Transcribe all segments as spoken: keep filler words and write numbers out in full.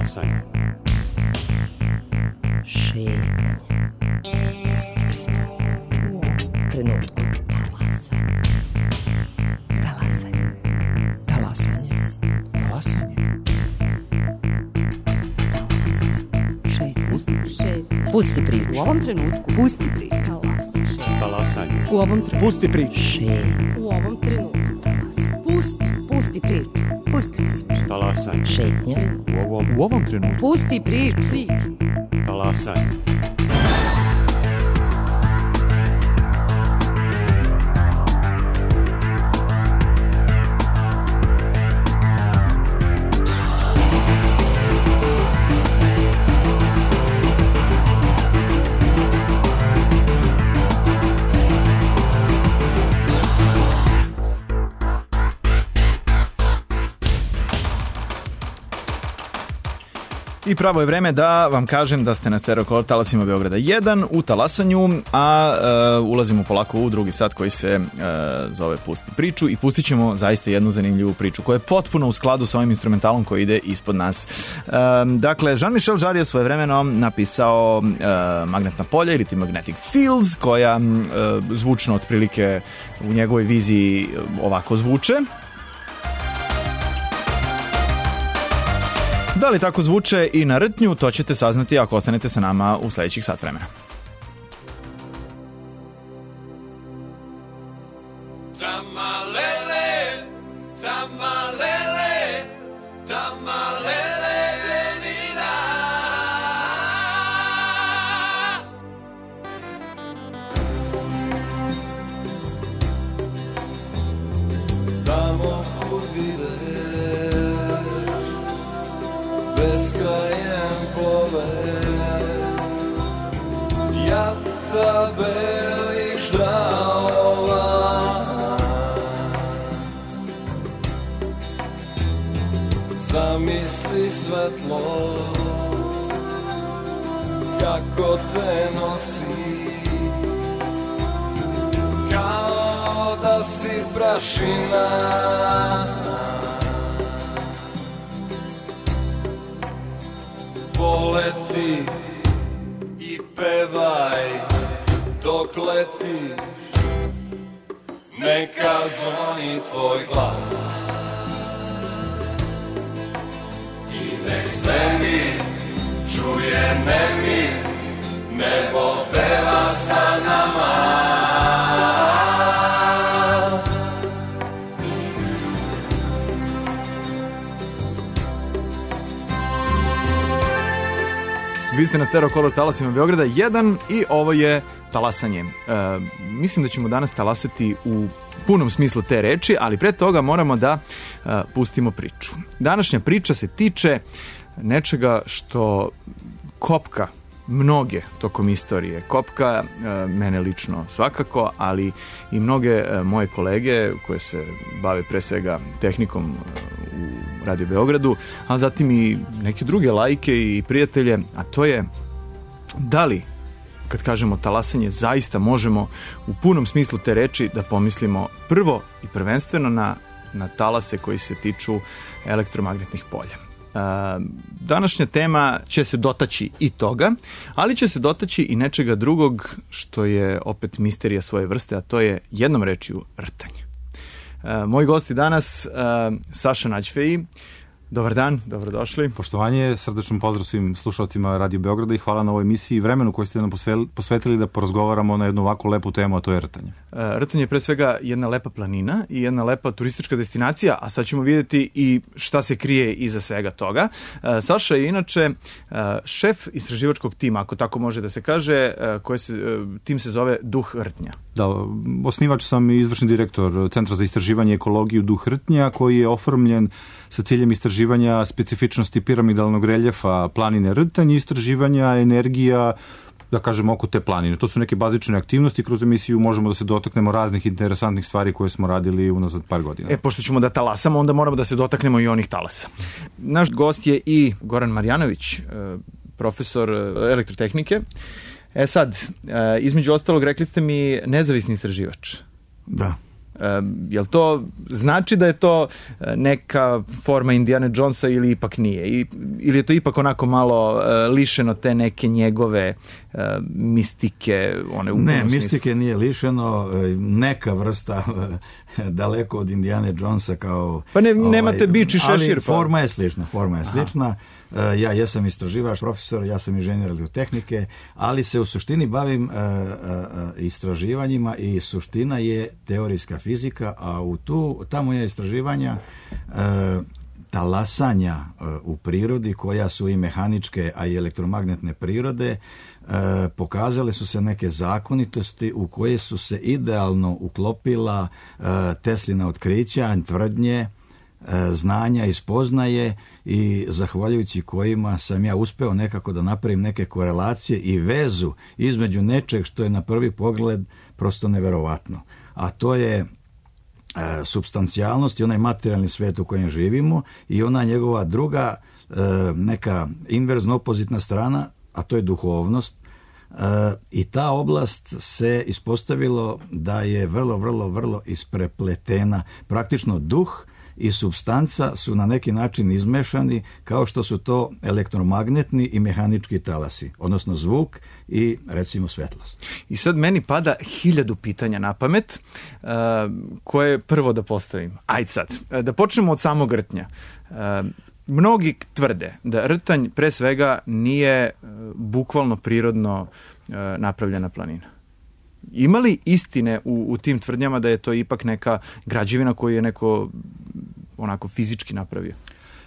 Talasanje. Šetnja. Pusti priču. U ovom trenutku. Talasanje. Talasanje. Talasanje. Šetnja. Pusti priču. U ovom trenutku. Pusti priču. Talasanje. U ovom trenutku. Pusti priču. Šetnja. U ovom trenutku. Pusti. Pusti priču. Pusti priču. Talasanje. Šetnja. U ovom, U ovom trenutku. Pusti priču. Priču. talasanje. I pravo je vreme da vam kažem da ste na Stereo talasima Beograda jedan u talasanju, a e, ulazimo polako u drugi sat koji se e, zove Pusti priču i pustit ćemo zaista jednu zanimljivu priču koja je potpuno u skladu sa ovim instrumentalom koji ide ispod nas. E, dakle, Jean-Michel Jarre je svojevremeno napisao e, Magnetna polja ili Magnetic Fields, koja e, zvučno otprilike u njegovoj viziji ovako zvuče. Da li tako zvuče i na rtnju, to ćete saznati ako ostanete sa nama u sledećih sat vremena. Zamisli svetlo kako te nosi, kao da si prašina. Poleti i pevaj dok letiš, neka zvoni tvoj glas. Nek svemir čuje nemir, nebo peva sa nama. Vi ste na Stereo Color talasima Beograda jedan i ovo je talasanje. E, mislim da ćemo danas talasati u punom smislu te reči, ali pre toga moramo da e, pustimo priču. Današnja priča se tiče nečega što kopka mnoge tokom istorije. Kopka e, mene lično svakako, ali i mnoge e, moje kolege koje se bave pre svega tehnikom e, u Radio Beogradu, a zatim i neke druge lajke i prijatelje, a to je da li, kad kažemo talasanje, zaista možemo u punom smislu te reči da pomislimo prvo i prvenstveno na, na talase koji se tiču elektromagnetnih polja. Današnja tema će se dotaći i toga, ali će se dotaći i nečega drugog što je opet misterija svoje vrste, a to je jednom rečju rtanje. Moji gosti danas, Saša Nađfeji. Dobar dan, dobrodošli. Poštovanje, srdečan pozdrav svim slušalcima Radio Beograda i hvala na ovoj emisiji i vremenu koju ste nam posvetili da porazgovaramo na jednu ovako lepu temu, a to je rtanje. Rtanje je pre svega jedna lepa planina i jedna lepa turistička destinacija, a sad ćemo vidjeti i šta se krije iza svega toga. Saša je inače šef istraživačkog tima, ako tako može da se kaže, koji se, tim se zove Duh rtnja. Da, osnivač sam i izvršni direktor Centra za istraživanje i ekologiju Duh rtnja, koji je oformljen sa ciljem istraživanja specifičnosti piramidalnog reljefa planine Rtanj i istraživanja energija, da kažemo, oko te planine. To su neke bazične aktivnosti. Kroz emisiju možemo da se dotaknemo raznih interesantnih stvari koje smo radili unazad par godina. E, pošto ćemo da talasamo, onda moramo da se dotaknemo i onih talasa. Naš gost je i Goran Marjanović, profesor elektrotehnike. E sad, između ostalog, rekli ste mi nezavisni istraživač. Da. E, jel to znači da je to neka forma Indiana Jonesa ili ipak nije? I, ili je to ipak onako malo e, lišeno te neke njegove e, mistike? One u ne, smislu? Mistike nije lišeno, neka vrsta daleko od Indiana Jonesa kao... Pa ne, nemate ovaj, bič i šešir. Ali pa. forma je slična, forma je slična. Ja jesam istraživač, profesor, ja sam inženjer elektrotehnike, ali se u suštini bavim uh, uh, istraživanjima i suština je teorijska fizika, a u tu, ta moja istraživanja uh, talasanja uh, u prirodi, koja su i mehaničke, a i elektromagnetne prirode, uh, pokazale su se neke zakonitosti u koje su se idealno uklopila uh, Teslina otkrića, tvrdnje, znanja i spoznaje, i zahvaljujući kojima sam ja uspeo nekako da napravim neke korelacije i vezu između nečeg što je na prvi pogled prosto neverovatno. A to je e, supstancijalnost i onaj materijalni svet u kojem živimo i ona njegova druga e, neka inverzno opozitna strana, a to je duhovnost. E, I ta oblast se ispostavilo da je vrlo, vrlo, vrlo isprepletena. Praktično duh i supstanca su na neki način izmešani, kao što su to elektromagnetni i mehanički talasi, odnosno zvuk i recimo svetlost. I sad meni pada hiljadu pitanja na pamet, uh, koje prvo da postavim. Ajde sad, da počnemo od samog rtnja. Uh, mnogi tvrde da rtanj pre svega nije uh, bukvalno prirodno uh, napravljena planina. Ima li istine u, u tim tvrdnjama da je to ipak neka građevina koju je neko onako fizički napravio?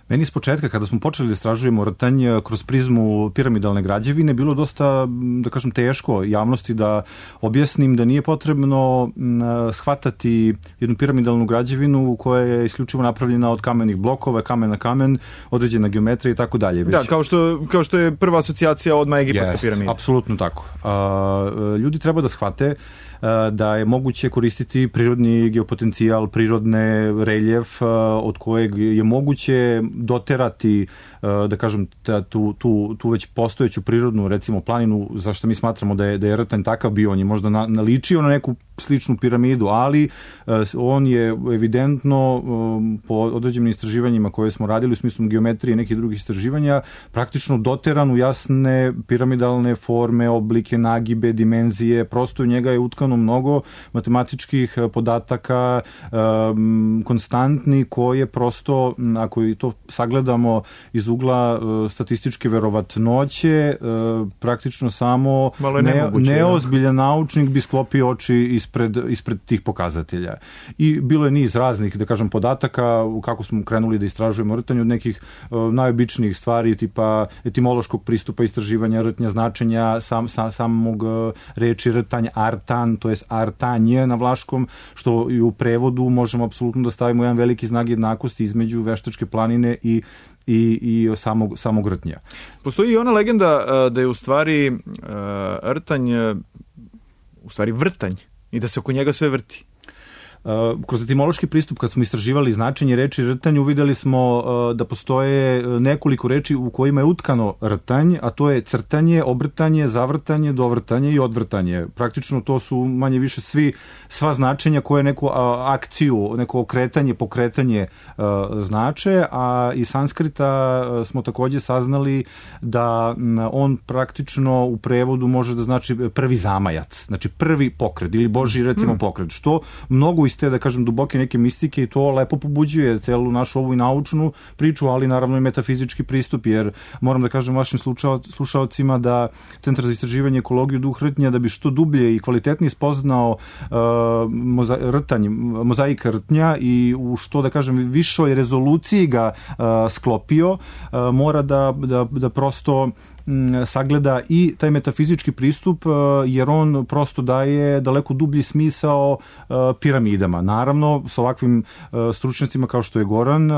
Meni s početka, kada smo počeli da istražujemo rtanj kroz prizmu piramidalne građevine, bilo dosta, da kažem, teško javnosti da objasnim da nije potrebno shvatati jednu piramidalnu građevinu koja je isključivo napravljena od kamenih blokova, kamen na kamen, određena geometrija i tako dalje. Da, kao što, kao što je prva asocijacija odmah egipatska Jest, piramida. Apsolutno tako. A, ljudi treba da shvate da je moguće koristiti prirodni geopotencijal, prirodne reljef od kojeg je moguće doterati, da kažem, tu, tu, tu već postojeću prirodnu, recimo, planinu, zašto mi smatramo da je, da je rtanj takav bio. On je možda na, naličio na neku sličnu piramidu, ali on je evidentno po određenim istraživanjima koje smo radili u smislu geometrije i nekih drugih istraživanja praktično doteran u jasne piramidalne forme, oblike, nagibe, dimenzije. Prosto u njega je utkano mnogo matematičkih podataka, um, konstantni, koje prosto, ako i to sagledamo iz ugla uh, statističke verovatnoće, uh, praktično samo ne, neozbiljan naučnik bi sklopio oči ispred, ispred tih pokazatelja. I bilo je niz raznih, da kažem, podataka kako smo krenuli da istražujemo rtanj, od nekih uh, najobičnijih stvari, tipa etimološkog pristupa istraživanja rtnja, značenja sam, sam, samog uh, reči rtanj, artan, to je artanje na vlaškom, što i u prevodu možemo apsolutno da stavimo jedan veliki znak jednakosti između Veštačke planine i i, i samog, samog rtnja. Postoji i ona legenda uh, da je u stvari uh, rtanj uh, u stvari vrtanj i da se oko njega sve vrti. Uh, kroz etimološki pristup, kad smo istraživali značenje reči rtanj, uvideli smo uh, da postoje nekoliko reči u kojima je utkano rtanj, a to je crtanje, obrtanje, zavrtanje, dovrtanje i odvrtanje. Praktično to su manje više svi, sva značenja koje neku uh, akciju, neko okretanje, pokretanje uh, znače, a iz sanskrita uh, smo takođe saznali da um, on praktično u prevodu može da znači prvi zamajac, znači prvi pokret ili Božji, recimo, hmm. pokret, što mnogo iz te, da kažem, duboke neke mistike, i to lepo pobuđuje celu našu ovu i naučnu priču, ali naravno i metafizički pristup, jer moram da kažem vašim slušaocima da Centar za istraživanje ekologiju duh rtnja, da bi što dublje i kvalitetnije spoznao uh, moza, rtanj, mozaika rtnja i u što, da kažem, višoj rezoluciji ga uh, sklopio, uh, mora da, da, da prosto sagleda i taj metafizički pristup, jer on prosto daje daleko dublji smisao piramidama. Naravno, s ovakvim stručnjacima kao što je Goran,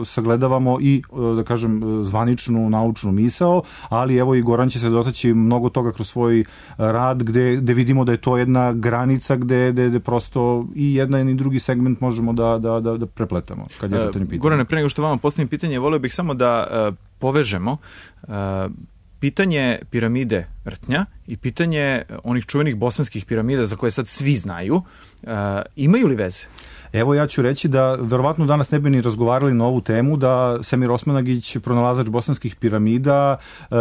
sagledavamo i, da kažem, zvaničnu naučnu misao, ali evo i Goran će se dotaći mnogo toga kroz svoj rad, gde, gde vidimo da je to jedna granica gde, gde, gde prosto i jedan i drugi segment možemo da, da, da, da prepletamo. Kad je uh, Gorane, pre nego što vama postavim pitanje, volio bih samo da uh, povežemo uh, pitanje piramide Rtnja i pitanje onih čuvenih bosanskih piramida za koje sad svi znaju, uh, imaju li veze? Evo ja ću reći da verovatno danas ne bi ni razgovarali na ovu temu da Semir Osmanagić, pronalazač bosanskih piramida,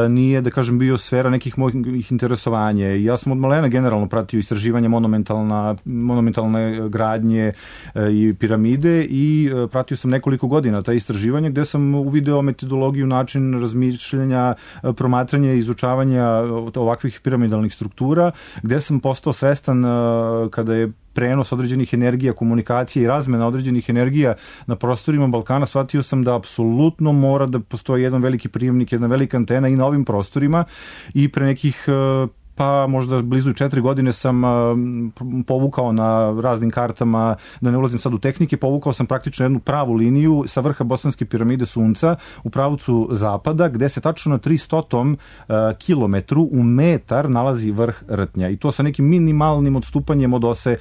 nije, da kažem, bio sfera nekih mojih interesovanja. Ja sam od malena generalno pratio istraživanje monumentalna, monumentalne gradnje i piramide i pratio sam nekoliko godina ta istraživanja gde sam uvideo metodologiju, način razmišljanja, promatranja i izučavanja ovakvih piramidalnih struktura, gde sam postao svestan kada je prenos određenih energija, komunikacije i razmena određenih energija na prostorima Balkana, shvatio sam da apsolutno mora da postoji jedan veliki prijemnik, jedna velika antena i na ovim prostorima i pre nekih pa možda blizu četiri godine sam povukao na raznim kartama, da ne ulazim sad u tehnike, povukao sam praktično jednu pravu liniju sa vrha Bosanske piramide Sunca u pravcu zapada, gde se tačno na tristotom kilometru u metar nalazi vrh Rtnja i to sa nekim minimalnim odstupanjem od ose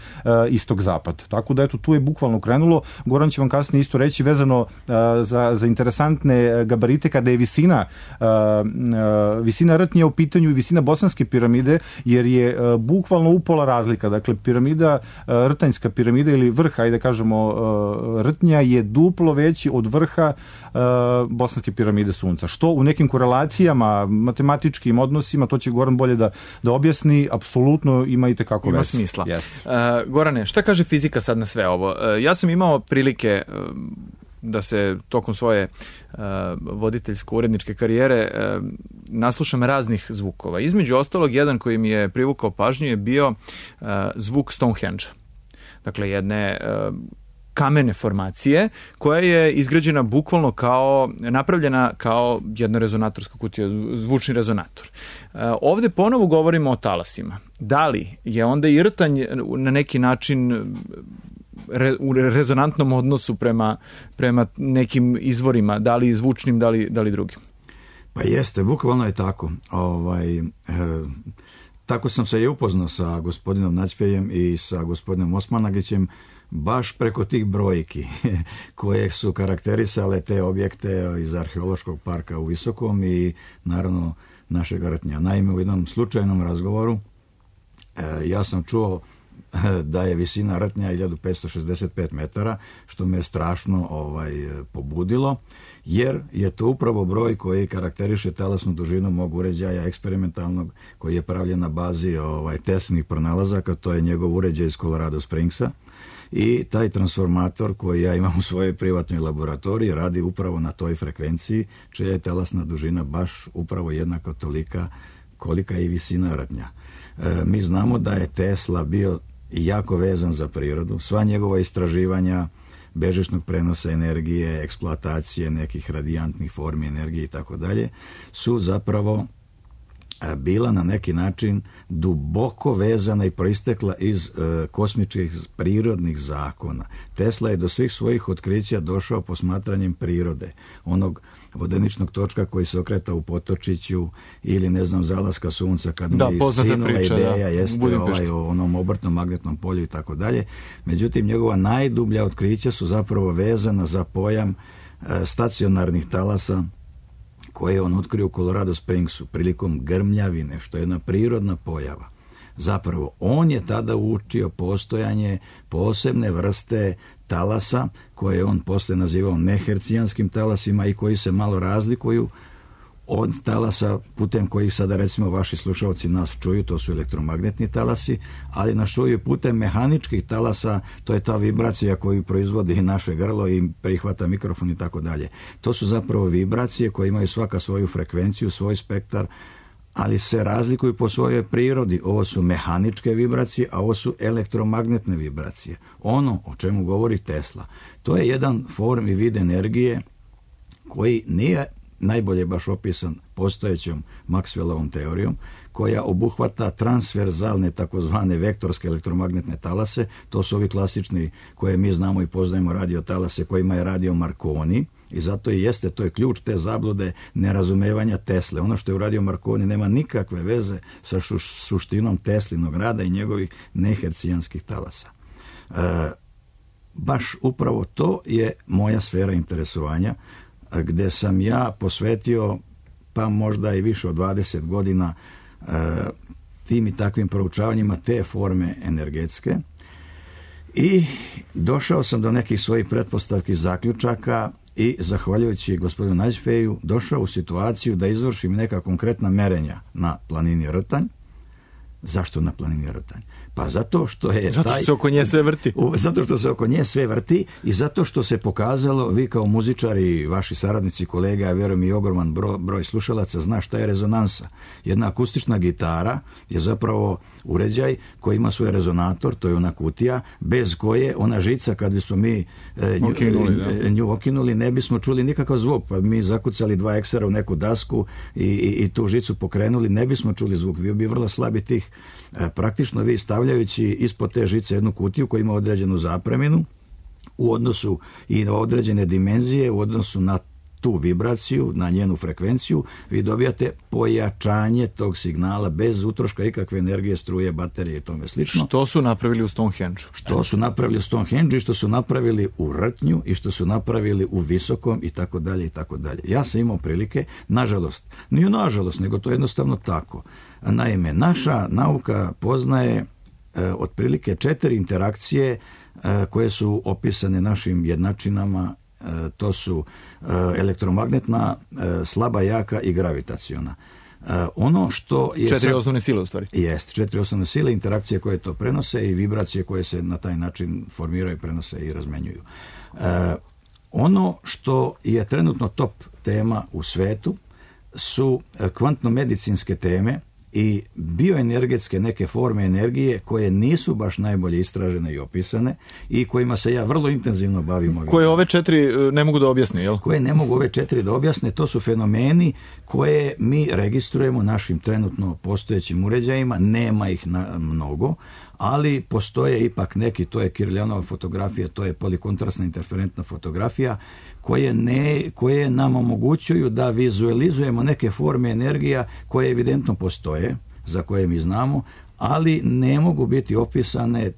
istog-zapad. Tako da eto, tu je bukvalno krenulo. Goran će vam kasnije isto reći vezano za, za interesantne gabarite kada je visina visina Rtnja u pitanju i visina Bosanske piramide, jer je uh, bukvalno upola razlika. Dakle, piramida, uh, Rtanjska piramida ili vrha, ajde kažemo, uh, Rtnja je duplo veći od vrha uh, Bosanske piramide Sunca. Što u nekim korelacijama, matematičkim odnosima, to će Goran bolje da, da objasni, apsolutno ima i tekako ima veze. Smisla. Jest. Uh, Gorane, šta kaže fizika sad na sve ovo? Uh, ja sam imao prilike uh, da se tokom svoje uh, voditeljsko-uredničke karijere uh, naslušam raznih zvukova. Između ostalog, jedan koji mi je privukao pažnju je bio uh, zvuk Stonehenge. Dakle, jedne uh, kamene formacije koja je izgrađena bukvalno kao, napravljena kao jedna rezonatorska kutija, zvučni rezonator. Uh, ovde ponovo govorimo o talasima. Da li je onda i Rtanj na neki način Re, u rezonantnom odnosu prema, prema nekim izvorima, da li zvučnim, da li, da li drugim? Pa jeste, bukvalno je tako. Ovaj, e, tako sam se i upoznao sa gospodinom Naćfejem i sa gospodinom Osmanagićem baš preko tih brojki koje su karakterisale te objekte iz arheološkog parka u Visokom i naravno našeg Rtnja. Naime, u jednom slučajnom razgovoru e, ja sam čuo da je visina Rtnja hiljadu petsto šezdeset pet metara, što me je strašno ovaj, pobudilo, jer je to upravo broj koji karakteriše talasnu dužinu mog uređaja eksperimentalnog, koji je pravljen na bazi ovaj, Teslinih pronalazaka, to je njegov uređaj iz Colorado Springsa. I taj transformator koji ja imam u svojoj privatnoj laboratoriji radi upravo na toj frekvenciji, čija je talasna dužina baš upravo jednako tolika kolika je i visina Rtnja. E, mi znamo da je Tesla bio jako vezan za prirodu. Sva njegova istraživanja bežičnog prenosa energije, eksploatacije nekih radijantnih formi energije i tako dalje su zapravo bila na neki način duboko vezana i proistekla iz e, kosmičkih prirodnih zakona. Tesla je do svih svojih otkrića došao posmatranjem prirode, onog vodeničnog točka koji se okreta u potočiću ili ne znam zalaska sunca kad da, mi sinula priča, ideja da, jeste ovaj, o onom obrtnom magnetnom polju i tako dalje. Međutim, njegova najdublja otkrića su zapravo vezana za pojam e, stacionarnih talasa koje je on otkrio u Colorado Springsu prilikom grmljavine, što je jedna prirodna pojava. Zapravo, on je tada učio postojanje posebne vrste talasa, koje on posle nazivao nehercijanskim talasima i koji se malo razlikuju od talasa putem kojih sada recimo vaši slušalci nas čuju, to su elektromagnetni talasi, ali nas čuju putem mehaničkih talasa, to je ta vibracija koju proizvodi naše grlo i prihvata mikrofon i tako dalje. To su zapravo vibracije koje imaju svaka svoju frekvenciju, svoj spektar, ali se razlikuju po svojoj prirodi. Ovo su mehaničke vibracije, a ovo su elektromagnetne vibracije. Ono o čemu govori Tesla, to je jedan form i vid energije koji nije najbolje baš opisan postojećom Maxwellovom teorijom, koja obuhvata transverzalne takozvane vektorske elektromagnetne talase. To su ovi klasični koje mi znamo i poznajemo radiotalase kojima je radio Marconi i zato i jeste, to je ključ te zablude nerazumevanja Tesle. Ono što je uradio Marconi nema nikakve veze sa šu, suštinom Teslinog rada i njegovih nehercijanskih talasa. E, baš upravo to je moja sfera interesovanja, gde sam ja posvetio pa možda i više od dvadeset godina e, tim i takvim proučavanjima te forme energetske i došao sam do nekih svojih pretpostavki, zaključaka i zahvaljujući gospodinu Nađfeju došao u situaciju da izvršim neka konkretna merenja na planini Rtanj. Zašto na planini Rtanj? Pa zato što je zato što taj, se oko nje sve vrti. Zato što se oko nje sve vrti i zato što se pokazalo, vi kao muzičari, vaši saradnici, kolega, ja vjerujem i ogroman broj, broj slušalaca zna šta je rezonansa. Jedna akustična gitara je zapravo uređaj koji ima svoj rezonator, to je ona kutija, bez koje ona žica, kad bismo mi e, nju, okinuli, e, nju okinuli, ne bismo čuli nikakav zvuk, pa mi zakucali dva eksera u neku dasku i, i, i tu žicu pokrenuli, ne bismo čuli zvuk, bio bi vrlo slabi tih. E, praktično vi stavljajući ispod te žice jednu kutiju koja ima određenu zapreminu u odnosu i na određene dimenzije, u odnosu na tu vibraciju, na njenu frekvenciju, vi dobijate pojačanje tog signala bez utroška ikakve energije, struje, baterije i tome slično. Što su napravili u Stonehenge-u? Što su napravili u Stonehenge-u i što su napravili u Rtnju i što su napravili u Visokom i tako dalje i tako dalje. Ja sam imao prilike, nažalost, nije nažalost, nego to je jednostavno tako. Naime, naša nauka poznaje e, otprilike četiri interakcije e, koje su opisane našim jednačinama. E, to su e, elektromagnetna, e, slaba, jaka i gravitaciona. E, ono što je četiri sad, osnovne sile u stvari. Jest, četiri osnovne sile, interakcije koje to prenose i vibracije koje se na taj način formiraju, prenose i razmenjuju. E, ono što je trenutno top tema u svetu su kvantno-medicinske teme i bioenergetske neke forme energije koje nisu baš najbolje istražene i opisane i kojima se ja vrlo intenzivno bavim. Ovim koje ove četiri ne mogu da objasne, jel? Koje ne mogu ove četiri da objasne, to su fenomeni koje mi registrujemo našim trenutno postojećim uređajima, nema ih na mnogo, ali postoje ipak neki, to je Kiriljanova fotografija, to je polikontrastna interferentna fotografija, koje, ne, koje nam omogućuju da vizualizujemo neke forme energija koje evidentno postoje, za koje mi znamo, ali ne mogu biti opisane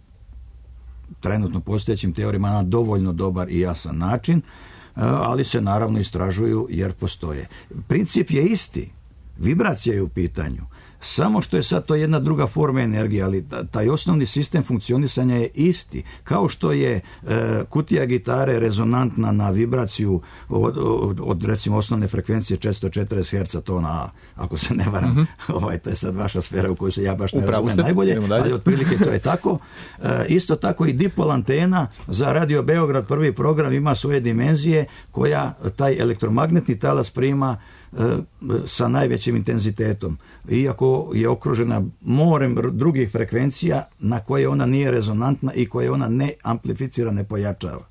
trenutno postojećim teorijama na dovoljno dobar i jasan način, ali se naravno istražuju jer postoje. Princip je isti, vibracija je u pitanju. Samo što je sad to jedna druga forma energije, ali taj osnovni sistem funkcionisanja je isti. Kao što je e, kutija gitare rezonantna na vibraciju od, od, od recimo osnovne frekvencije četiristo četrdeset herca tona A, ako se ne varam, mm-hmm. ovaj, to je sad vaša sfera u kojoj se ja baš ne razumijem najbolje, ali otprilike to je tako. E, isto tako i dipol antena za Radio Beograd, prvi program, ima svoje dimenzije koja taj elektromagnetni talas prima sa najvećim intenzitetom, iako je okružena morem drugih frekvencija na koje ona nije rezonantna i koje ona ne amplificira, ne pojačava.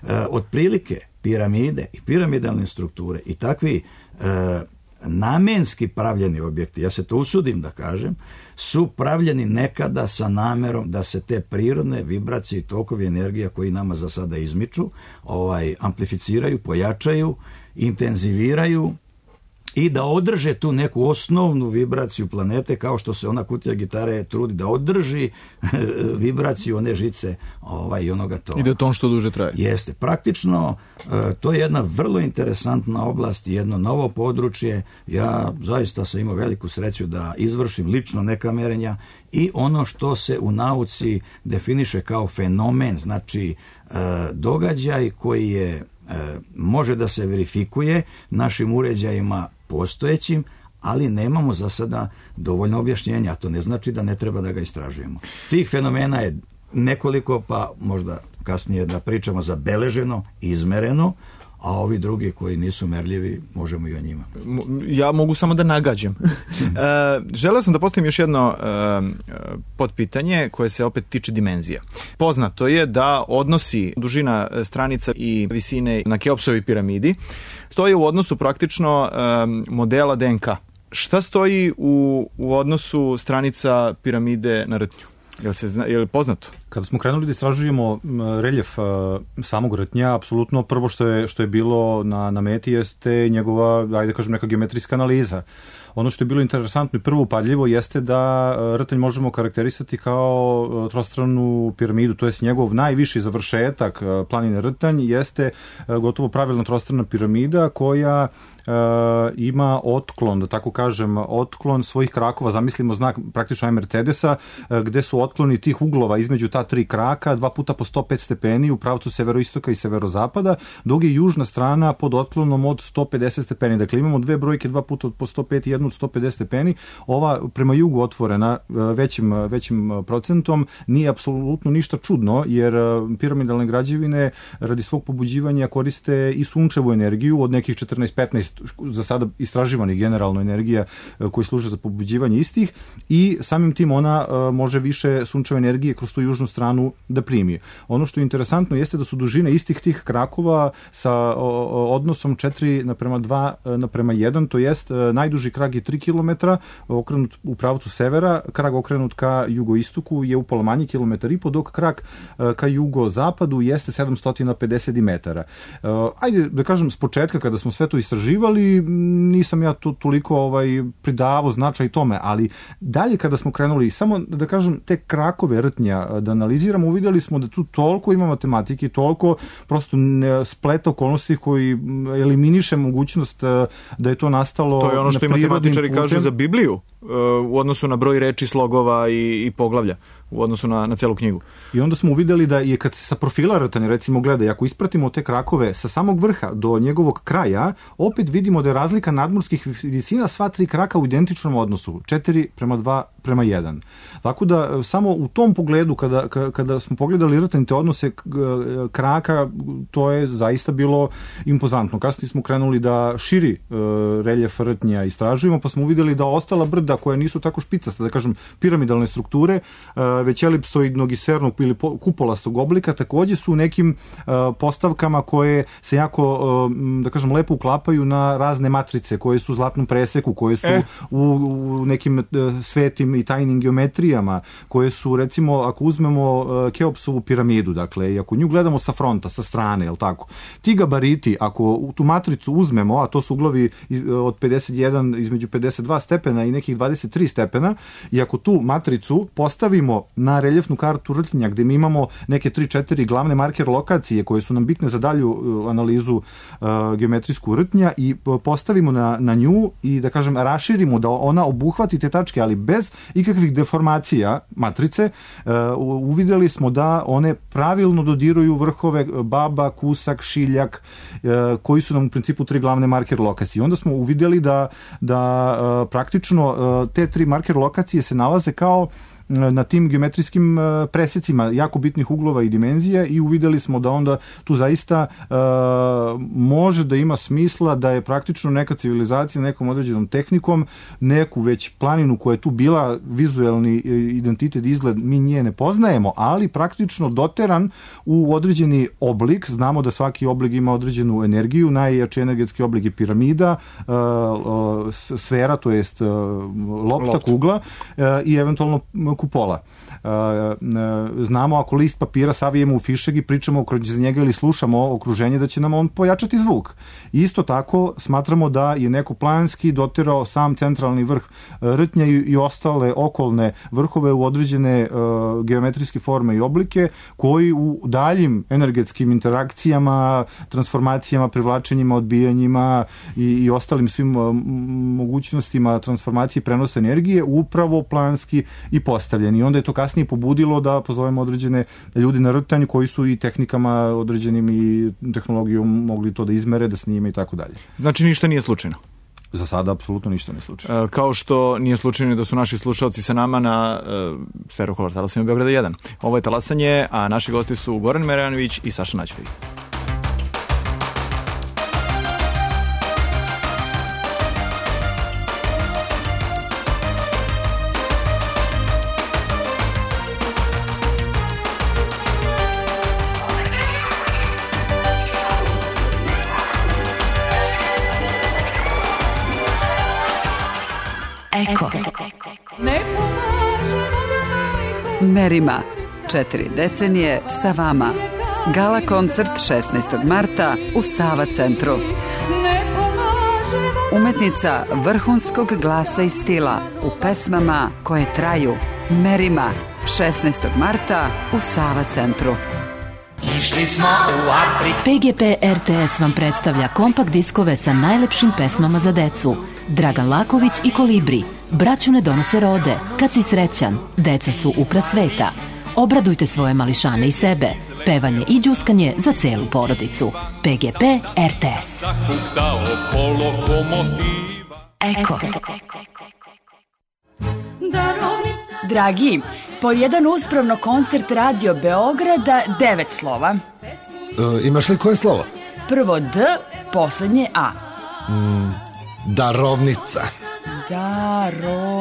E, otprilike piramide i piramidalne strukture i takvi e, namenski pravljeni objekti, ja se to usudim da kažem, su pravljeni nekada sa namerom da se te prirodne vibracije i tokovi energija koji nama za sada izmiču, ovaj, amplificiraju, pojačaju, intenziviraju i da održe tu neku osnovnu vibraciju planete, kao što se ona kutija gitare trudi da održi vibraciju one žice ovaj, i onoga tona. I da to što duže traje. Jeste. Praktično, to je jedna vrlo interesantna oblast, jedno novo područje. Ja zaista sam imao veliku sreću da izvršim lično neka merenja i ono što se u nauci definiše kao fenomen, znači događaj koji je može da se verifikuje našim uređajima postojećim, ali nemamo za sada dovoljno objašnjenja, a to ne znači da ne treba da ga istražujemo. Tih fenomena je nekoliko, pa možda kasnije da pričamo zabeleženo, izmereno, a ovi drugi koji nisu merljivi, možemo i o njima. Ja mogu samo da nagađam. e, želeo sam da postavim još jedno e, podpitanje koje se opet tiče dimenzija. Poznato je da odnosi dužina stranica i visine na Keopsovoj piramidi stoje u odnosu praktično e, modela D N K. Šta stoji u, u odnosu stranica piramide na Rtnju? Jel se zna, je li poznato? Kada smo krenuli da istražujemo reljef samog Rtnja, apsolutno prvo što je, što je bilo na, na meti jeste njegova, ajde kažem, neka geometrijska analiza. Ono što je bilo interesantno i prvo upadljivo jeste da Rtanj možemo karakterisati kao trostranu piramidu, to jest njegov najviši završetak planine Rtanj jeste gotovo pravilna trostrana piramida koja Uh, ima otklon, da tako kažem, otklon svojih krakova, zamislimo znak praktično je Mercedesa, uh, gde su otkloni tih uglova između ta tri kraka, dva puta po sto pet stepeni u pravcu severoistoka i severozapada, dok je južna strana pod otklonom od sto pedeset stepeni. Dakle, imamo dve brojke, dva puta po sto pet i jednu od sto pedeset stepeni. Ova prema jugu otvorena uh, većim, većim procentom nije apsolutno ništa čudno, jer uh, piramidalne građevine radi svog pobuđivanja koriste i sunčevu energiju od nekih četrnaest petnaest za sada istraživanih generalno energija koji služe za pobuđivanje istih i samim tim ona može više sunčeve energije kroz tu južnu stranu da primi. Ono što je interesantno jeste da su dužine istih tih krakova sa odnosom četiri naprema dva naprema jedan, to jest najduži krak je tri kilometra okrenut u pravcu severa, krak okrenut ka jugoistoku je upola manji, kilometar i po, dok krak ka jugozapadu jeste sedamsto pedeset metara. Ajde da kažem, s početka kada smo sve to istraživali, nisam ja tu toliko ovaj, pridavao značaj tome, ali dalje kada smo krenuli, samo da kažem, te krakove Rtnja da analiziramo, uvidjeli smo da tu toliko ima matematike, toliko prosto spleta okolnosti koji eliminiše mogućnost da je to nastalo. To je ono što i matematičari putem. kažu za Bibliju u odnosu na broj reči, slogova i, i poglavlja u odnosu na, na celu knjigu. I onda smo uvidjeli da je kad se sa profila Rtanja recimo gleda, ako ispratimo te krakove sa samog vrha do njegovog kraja, opet vidimo da je razlika nadmorskih visina sva tri kraka u identičnom odnosu, četiri prema dva prema jedan. Tako da samo u tom pogledu kada, kada smo pogledali Rtanj te odnose kraka, to je zaista bilo impozantno. Kasnije smo krenuli da širi reljef Rtnja istražujemo, pa smo uvidjeli da ostala brda koja nisu tako špicasta, da kažem piramidalne strukture, već elipsoidnog i sfernog ili kupolastog oblika, takođe su u nekim postavkama koje se jako, da kažem, lepo uklapaju na razne matrice koje su u zlatnom preseku, koje su e. u, u nekim svetim i tajnim geometrijama, koje su, recimo, ako uzmemo Keopsovu piramidu, dakle, i ako nju gledamo sa fronta, sa strane, jel tako, ti gabariti, ako u tu matricu uzmemo, a to su uglovi od pedeset jedan, između pedeset dva stepena i nekih dvadeset tri stepena, i ako tu matricu postavimo na reljefnu kartu Rtnja, gde mi imamo neke tri četiri glavne marker lokacije koje su nam bitne za dalju analizu uh, geometrijsku Rtnja i postavimo na, na nju i, da kažem, raširimo da ona obuhvati te tačke, ali bez ikakvih deformacija matrice, uh, uvidjeli smo da one pravilno dodiruju vrhove Baba, Kusak, Šiljak, uh, koji su nam u principu tri glavne marker lokacije. Onda smo uvidjeli da, da uh, praktično uh, te tri marker lokacije se nalaze kao na tim geometrijskim presecima jako bitnih uglova i dimenzija i uvidjeli smo da onda tu zaista uh, može da ima smisla da je praktično neka civilizacija nekom određenom tehnikom neku već planinu koja je tu bila vizuelni identitet, izgled, mi nje ne poznajemo, ali praktično doteran u određeni oblik. Znamo da svaki oblik ima određenu energiju, najjači energetski oblik je piramida, uh, uh, sfera, to jest uh, lopta, Lopt. kugla uh, i eventualno kupola. Znamo ako list papira savijemo u fišeg i pričamo kroz njega ili slušamo okruženje da će nam on pojačati zvuk. Isto tako smatramo da je neko planski doterao sam centralni vrh Rtnja i ostale okolne vrhove u određene geometrijske forme i oblike koji u daljim energetskim interakcijama, transformacijama, privlačenjima, odbijanjima i, i ostalim svim mogućnostima transformacije i prenosa energije upravo planski i postavljeni. I onda je to kasnije pobudilo da pozovemo određene ljudi na Rtanj koji su i tehnikama određenim i tehnologijom mogli to da izmere, da snime i tako dalje. Znači ništa nije slučajno? Za sada apsolutno ništa nije slučajno. E, kao što nije slučajno da su naši slušalci sa nama na e, Sferu kolor talasima Beograda jedan. Ovo je Talasanje, a naši gosti su Goran Merjanović i Saša Nađfej. Eko. Merima. Četiri decenije sa vama. Gala koncert šesnaestog marta u Sava centru. Umetnica vrhunskog glasa i stila u pesmama koje traju. Merima, šesnaestog marta u Sava centru. Išli smo u Afriku. P G P R T S vam predstavlja kompakt diskove sa najlepšim pesmama za decu. Dragan Laković i Kolibri. Braću ne donose rode. Kad si srećan, deca su upras sveta. Obradujte svoje mališane i sebe. Pevanje i đuskanje za celu porodicu. P G P R T S. Eko. Dragi, po jedan uspravno koncert Radio Beograda, devet slova. E, imaš li koje slovo? Prvo D, poslednje A. Mm, darovnica. Darovnica.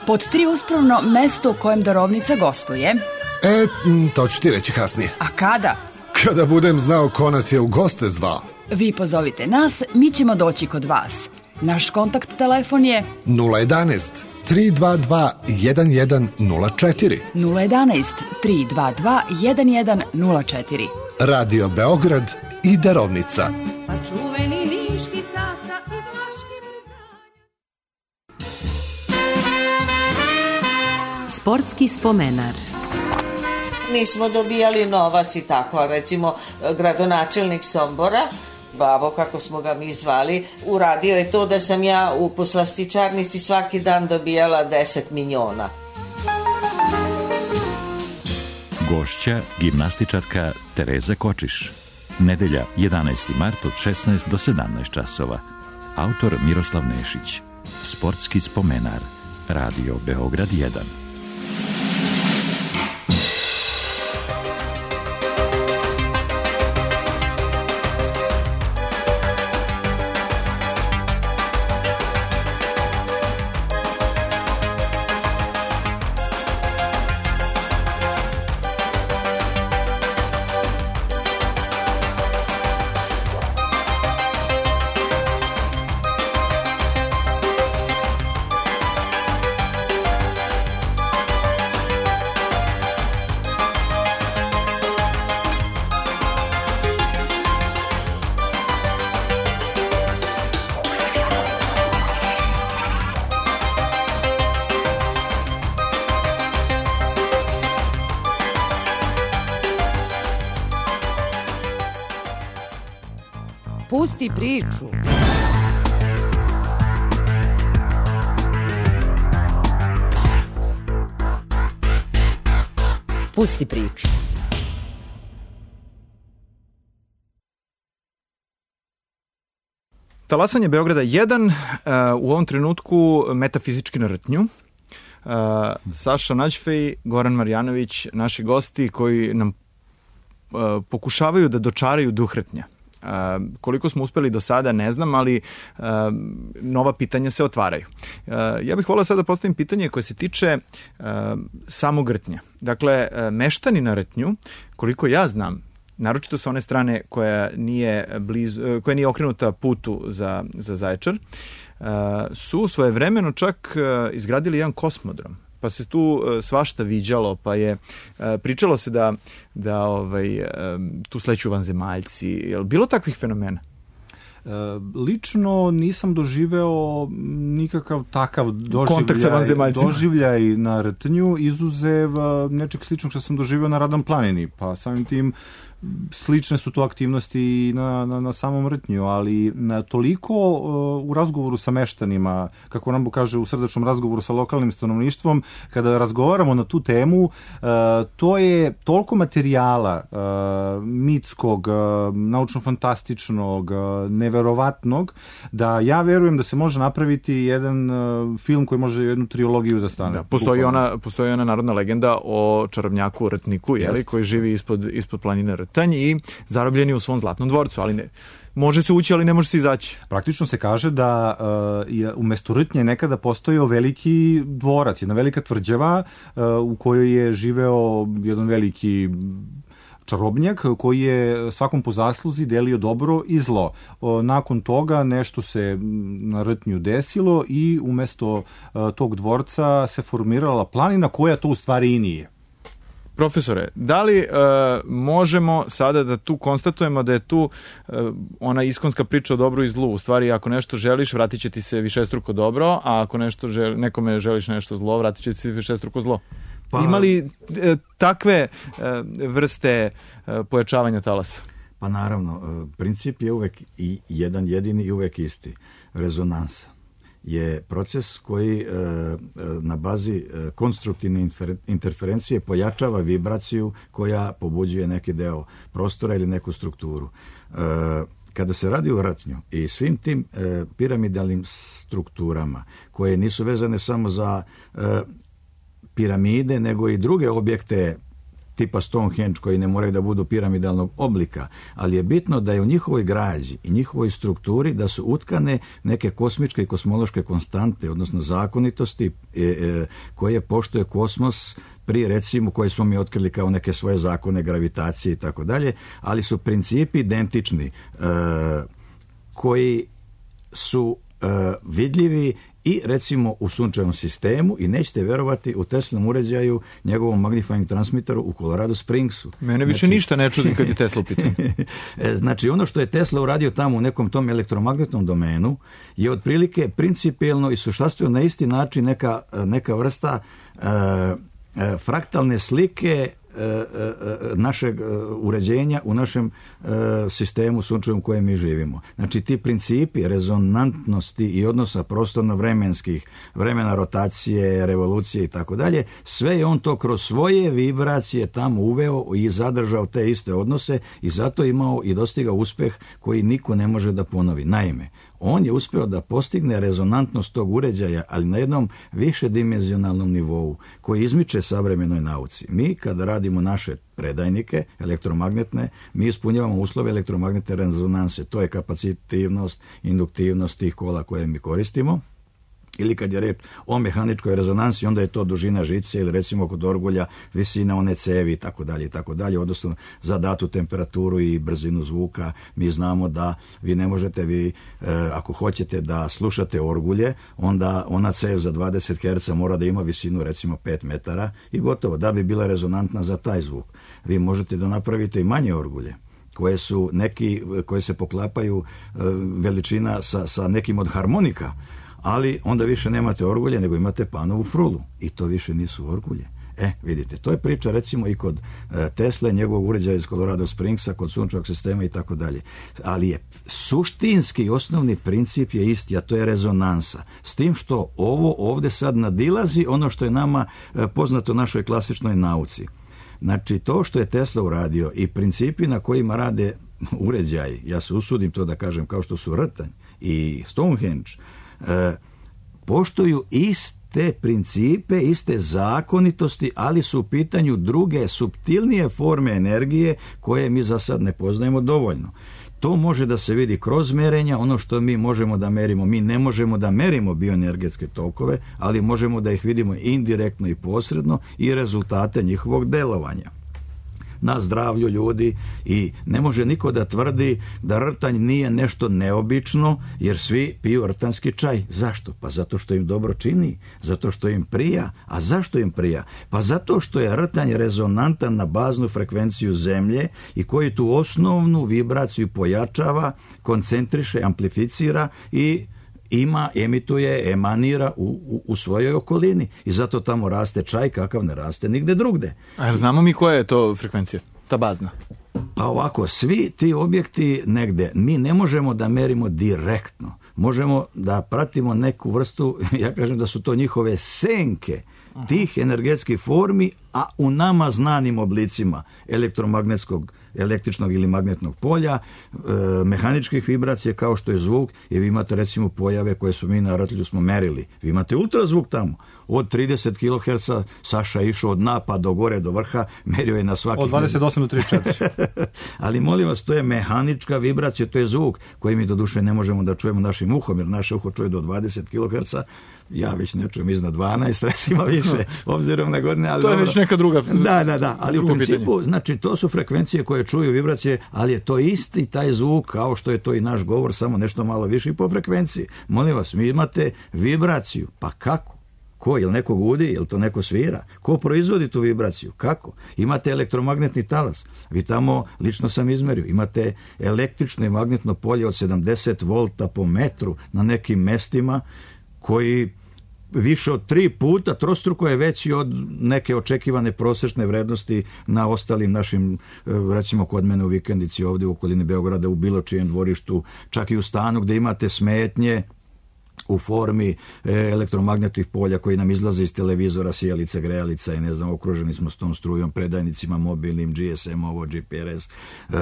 Pod tri uspravno mesto u kojem darovnica gostuje. E, to ću ti reći kasnije. A kada? Kada budem znao ko nas je u goste zvao. Vi pozovite nas, mi ćemo doći kod vas. Naš kontakt telefon je nula jedanaest tri dva dva jedan jedan nula četiri nula jedanaest tri dva dva jedan jedan nula četiri. Radio Beograd i darovnica. Pa čuveni niški sasa i vlaški vrzanje. Sportski spomenar. Nismo dobijali novac i tako, a recimo gradonačelnik Sombora, Babo, kako smo ga mi zvali, uradio je to da sam ja u poslastičarnici svaki dan dobijala deset miliona. Gošća, gimnastičarka Tereza Kočiš. Nedelja, jedanaesti mart od šesnaest do sedamnaest časova. Autor Miroslav Nešić. Sportski spomenar. Radio Beograd jedan. Pusti priču. Pusti priču. Talasanje Beograda jedan, uh, u ovom trenutku metafizički na rtnju. Uh, Saša Nađfej, Goran Marjanović, naši gosti koji nam uh, pokušavaju da dočaraju duh rtnja. Uh, koliko smo uspeli do sada ne znam, ali uh, nova pitanja se otvaraju. Uh, ja bih volio sada da postavim pitanje koje se tiče uh, samog rtnja. Dakle, uh, meštani na rtnju, koliko ja znam, naročito sa one strane koja nije, blizu, uh, koja nije okrenuta putu za, za Zaječar, uh, su svojevremeno čak uh, izgradili jedan kosmodrom. Pa se tu uh, svašta viđalo, pa je uh, pričalo se da, da ovaj, um, tu sleću vanzemaljci. Je li bilo takvih fenomena? E, lično nisam doživeo nikakav takav doživljaj, doživljaj na rtnju, izuzev nečeg sličnog što sam doživeo na Radan planini, pa samim tim slične su to aktivnosti na, na, na samom rtnju, ali na toliko uh, u razgovoru sa meštanima, kako Rambo kaže, u srdačnom razgovoru sa lokalnim stanovništvom, kada razgovaramo na tu temu, uh, to je toliko materijala uh, mitskog, uh, naučno-fantastičnog, uh, neverovatnog, da ja verujem da se može napraviti jedan uh, film koji može jednu trilogiju da stane. Da, postoji, ona, postoji ona narodna legenda o čarobnjaku Rtniku, jeli, Jest. koji živi ispod, ispod planine Rtnja i zarobljeni u svom zlatnom dvorcu, ali ne, može se ući, ali ne može se izaći. Praktično se kaže da uh, je umesto Rtnje nekada postojao veliki dvorac, jedna velika tvrđava uh, u kojoj je živeo jedan veliki čarobnjak koji je svakom po zasluzi delio dobro i zlo. Uh, nakon toga nešto se na Rtnju desilo i umesto uh, tog dvorca se formirala planina koja to u stvari i nije. Profesore, da li e, možemo sada da tu konstatujemo da je tu e, ona iskonska priča o dobru i zlu? U stvari, ako nešto želiš, vratit će ti se višestruko dobro, a ako nešto želi, nekome želiš nešto zlo, vratit će ti se višestruko zlo. Pa, ima li e, takve e, vrste e, pojačavanja talasa? Pa naravno, princip je uvek i jedan jedini i uvek isti. Rezonansa je proces koji e, na bazi e, konstruktivne interferencije pojačava vibraciju koja pobuđuje neki deo prostora ili neku strukturu. E, kada se radi o rtnju i svim tim e, piramidalnim strukturama koje nisu vezane samo za e, piramide, nego i druge objekte tipa Stonehenge koji ne moraju da budu piramidalnog oblika, ali je bitno da je u njihovoj građi i njihovoj strukturi da su utkane neke kosmičke i kosmološke konstante, odnosno zakonitosti e, e, koje poštuje kosmos pri, recimo, koje smo mi otkrili kao neke svoje zakone gravitacije i tako dalje, ali su principi identični e, koji su e, vidljivi i recimo u sunčevom sistemu i nećete verovati u Teslinom uređaju, njegovom magnifying transmiteru u Colorado Springsu. Mene više znači, ništa ne čudi kad je Tesla u pitanju. Znači ono što je Tesla uradio tamo u nekom tom elektromagnetnom domenu je otprilike principijelno i suštanstveno na isti način neka, neka vrsta uh, uh, fraktalne slike našeg uređenja u našem sistemu sunčevom u kojem mi živimo. Znači ti principi rezonantnosti i odnosa prostorno-vremenskih, vremena rotacije, revolucije i tako dalje, sve je on to kroz svoje vibracije tamo uveo i zadržao te iste odnose i zato imao i dostigao uspeh koji niko ne može da ponovi. Naime, on je uspeo da postigne rezonantnost tog uređaja, ali na jednom višedimenzionalnom nivou koji izmiče savremenoj nauci. Mi kada radimo naše predajnike elektromagnetne, mi ispunjavamo uslove elektromagnetne rezonanse. To je kapacitivnost, induktivnost tih kola koje mi koristimo. Ili kad je reč o mehaničkoj rezonansi, onda je to dužina žice ili recimo kod orgulja visina one cevi i tako dalje i tako dalje, odnosno za datu temperaturu i brzinu zvuka. Mi znamo da vi ne možete, vi e, ako hoćete da slušate orgulje, onda ona cev za dvadeset herca mora da ima visinu recimo pet metara i gotovo, da bi bila rezonantna za taj zvuk. Vi možete da napravite i manje orgulje koje su neki, koje se poklapaju e, veličina sa, sa nekim od harmonika, ali onda više nemate orgulje, nego imate panovu frulu. I to više nisu orgulje. E, vidite, to je priča recimo i kod e, Tesle, njegovog uređaja iz Colorado Springsa, kod sunčevog sistema i tako dalje. Ali je suštinski osnovni princip je isti, a to je rezonansa. S tim što ovo ovde sad nadilazi ono što je nama e, poznato našoj klasičnoj nauci. Znači, to što je Tesla uradio i principi na kojima rade uređaji, ja se usudim to da kažem, kao što su rtanj i Stonehenge, E, poštuju iste principe, iste zakonitosti, ali su u pitanju druge, suptilnije forme energije koje mi za sad ne poznajemo dovoljno. To može da se vidi kroz merenja, ono što mi možemo da merimo. Mi ne možemo da merimo bioenergetske tokove, ali možemo da ih vidimo indirektno i posredno i rezultate njihovog delovanja na zdravlju ljudi i ne može niko da tvrdi da rtanj nije nešto neobično, jer svi piju rtanjski čaj. Zašto? Pa zato što im dobro čini, zato što im prija. A zašto im prija? Pa zato što je rtanj rezonantan na baznu frekvenciju zemlje i koji tu osnovnu vibraciju pojačava, koncentriše, amplificira i ima, emituje, emanira u, u, u svojoj okolini. I zato tamo raste čaj kakav ne raste nigde drugde. A znamo mi koja je to frekvencija, ta bazna? Pa ovako, svi ti objekti negde, mi ne možemo da merimo direktno. Možemo da pratimo neku vrstu, ja kažem da su to njihove senke tih energetskih formi, a u nama znanim oblicima elektromagnetskog, električnog ili magnetnog polja, e, mehaničkih vibracija kao što je zvuk, i vi imate recimo pojave koje smo mi na Rtlju smo merili. Vi imate ultrazvuk tamo. Od trideset kiloherca Saša je išao od dna pa do gore do vrha, merio je na svaki... Od dvadeset osam do trideset četiri. Ali molim vas, to je mehanička vibracija, to je zvuk koji mi do duše ne možemo da čujemo našim uhom, jer naše uho čuje do dvadeset kiloherca, ja već ne čujem iznad dvanaest, recimo više, obzirom na godine. Ali to je dobro. Već neka druga. Da, da, da, ali u principu, pitanje. Znači, to su frekvencije koje čuju vibracije, ali je to isti taj zvuk, kao što je to i naš govor, samo nešto malo više po frekvenciji. Molim vas, mi imate vibraciju, pa kako? Ko? Jel neko gudi? Jel to neko svira? Ko proizvodi tu vibraciju? Kako? Imate elektromagnetni talas. Vi tamo, lično sam izmerio, imate električno i magnetno polje od sedamdeset volta po metru na nekim mestima koji više od tri puta trostruko je veći od neke očekivane prosječne vrednosti na ostalim našim, recimo kod mene u vikendici ovdje u okolini Beograda, u bilo čijem dvorištu, čak i u stanu gdje imate smetnje u formi elektromagnetnih polja koji nam izlaze iz televizora, sijalica, grejalica i ne znam, okruženi smo s tom strujom, predajnicima mobilnim, G S M, ovo, G P R S.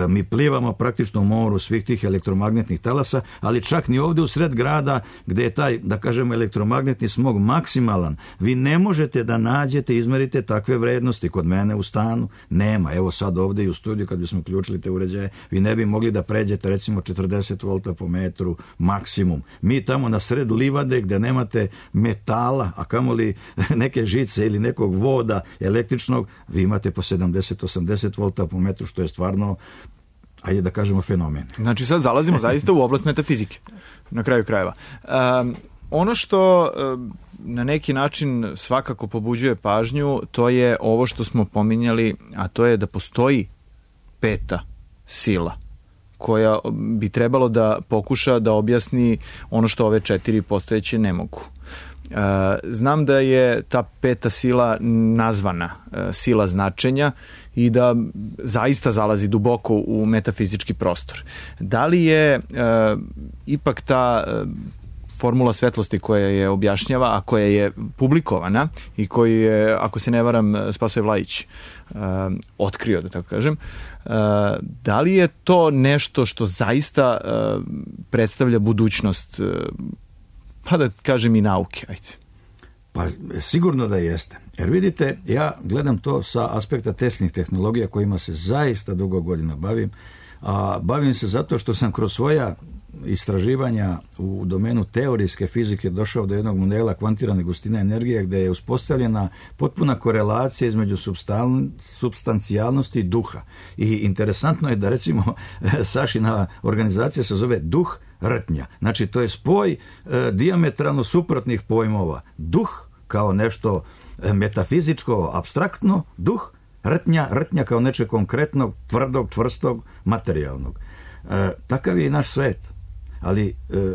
Mi plivamo praktično u moru svih tih elektromagnetnih talasa, ali čak ni ovdje u sred grada gdje je taj, da kažemo, elektromagnetni smog maksimalan, vi ne možete da nađete, izmerite takve vrednosti. Kod mene u stanu nema. Evo sad ovdje i u studiju kad bismo uključili te uređaje, vi ne bi mogli da pređete recimo četrdeset volta po metru maksimum. Mi tamo na sred livade gdje nemate metala, a kamoli neke žice ili nekog voda električnog, vi imate po sedamdeset do osamdeset volta po metru, što je stvarno, ajde da kažemo, fenomen. Znači sad zalazimo zaista u oblast metafizike, na kraju krajeva. Um, ono što um, na neki način svakako pobuđuje pažnju, to je ovo što smo pominjali, a to je da postoji peta sila koja bi trebalo da pokuša da objasni ono što ove četiri postojeće ne mogu. Znam da je ta peta sila nazvana sila značenja i da zaista zalazi duboko u metafizički prostor. Da li je ipak ta formula svetlosti koja je objašnjava, a koja je publikovana i koju je, ako se ne varam, Spasoje Vlajić uh, otkrio, da tako kažem, uh, da li je to nešto što zaista uh, predstavlja budućnost, uh, pa da kažem i nauke, ajde? Pa sigurno da jeste. Jer vidite, ja gledam to sa aspekta tesnih tehnologija kojima se zaista dugo godina bavim, a bavim se zato što sam kroz svoja istraživanja u domenu teorijske fizike došao do jednog modela kvantirane gustine energije gdje je uspostavljena potpuna korelacija između supstancijalnosti i duha. I interesantno je da recimo Sašina organizacija se zove duh rtnja. Znači to je spoj e, dijametralno suprotnih pojmova. Duh kao nešto metafizičko, apstraktno, duh rtnja, rtnja kao neče konkretnog, tvrdog, čvrstog, materijalnog. E, takav je i naš svet. Ali e, e,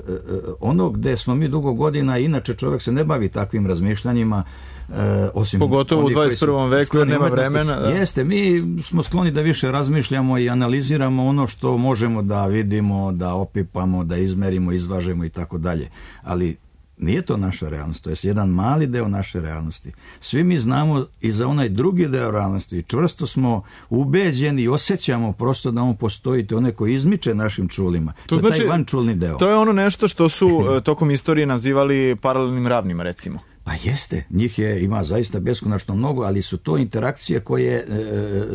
ono gdje smo mi dugo godina, inače čovjek se ne bavi takvim razmišljanjima, e, osim pogotovo u dvadeset prvom veku jer nema vremena. Da. Jeste, mi smo skloni da više razmišljamo i analiziramo ono što možemo da vidimo, da opipamo, da izmerimo, izvažemo i tako dalje. Ali nije to naša realnost, to je jedan mali deo naše realnosti. Svi mi znamo i za onaj drugi deo realnosti, čvrsto smo ubeđeni i osjećamo prosto da on postoji, to neko izmiče našim čulima. To, to znači, je taj vančulni deo. To je ono nešto što su tokom istorije nazivali paralelnim ravnima, recimo. Pa jeste, njih je, ima zaista beskonačno mnogo, ali su to interakcije koje, e,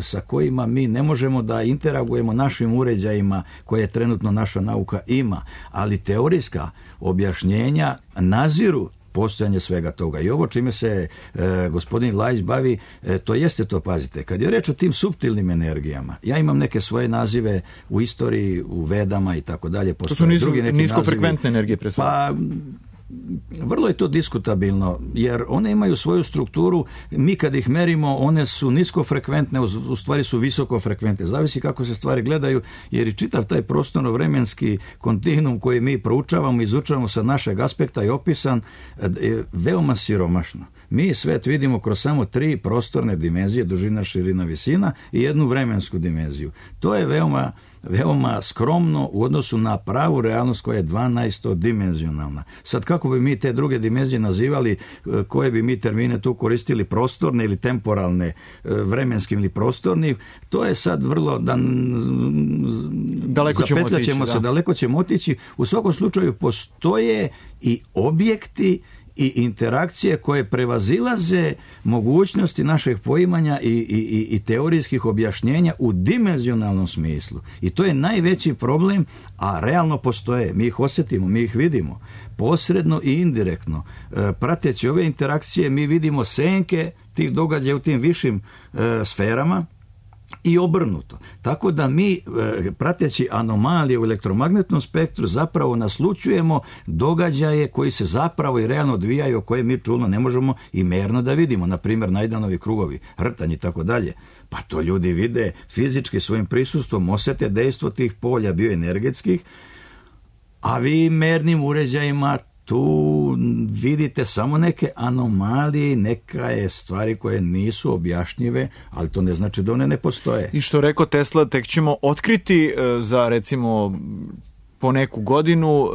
sa kojima mi ne možemo da interagujemo našim uređajima koje trenutno naša nauka ima, ali teorijska objašnjenja naziru postojanje svega toga. I ovo čime se e, gospodin Lajić bavi, e, to jeste to, pazite. Kad je reč o tim suptilnim energijama, ja imam neke svoje nazive u istoriji, u vedama i tako dalje. To su nisko, niskofrekventne energije pre svega. Pa, vrlo je to diskutabilno, jer one imaju svoju strukturu, mi kad ih merimo, one su niskofrekventne, u stvari su visokofrekventne. Zavisi kako se stvari gledaju, jer i čitav taj prostorno-vremenski kontinuum koji mi proučavamo, izučavamo sa našeg aspekta je opisan je veoma siromašno. Mi svet vidimo kroz samo tri prostorne dimenzije, dužina, širina, visina i jednu vremensku dimenziju. To je veoma, veoma skromno u odnosu na pravu realnost koja je dvanaestodimenzionalna. Sad kako bi mi te druge dimenzije nazivali, koje bi mi termine tu koristili, prostorne ili temporalne, vremenskim ili prostorni, to je sad vrlo da daleko ćemo otići, se, da. daleko ćemo otići. U svakom slučaju postoje i objekti i interakcije koje prevazilaze mogućnosti našeg poimanja i, i, i teorijskih objašnjenja u dimenzionalnom smislu. I to je najveći problem, a realno postoje. Mi ih osjetimo, mi ih vidimo. Posredno i indirektno. E, prateći ove interakcije mi vidimo senke tih događaja u tim višim e, sferama, i obrnuto. Tako da mi, prateći anomalije u elektromagnetnom spektru, zapravo naslućujemo događaje koji se zapravo i realno odvijaju, koje mi čulno ne možemo i merno da vidimo. Na primjer, Najdanovi krugovi, hrtanj i tako dalje. Pa to ljudi vide fizički svojim prisustvom, osjete dejstvo tih polja bioenergetskih, a vi mernim uređajima tu vidite samo neke anomalije, neke stvari koje nisu objašnjive, ali to ne znači da one ne postoje. I što rekao Tesla, tek ćemo otkriti za recimo po neku godinu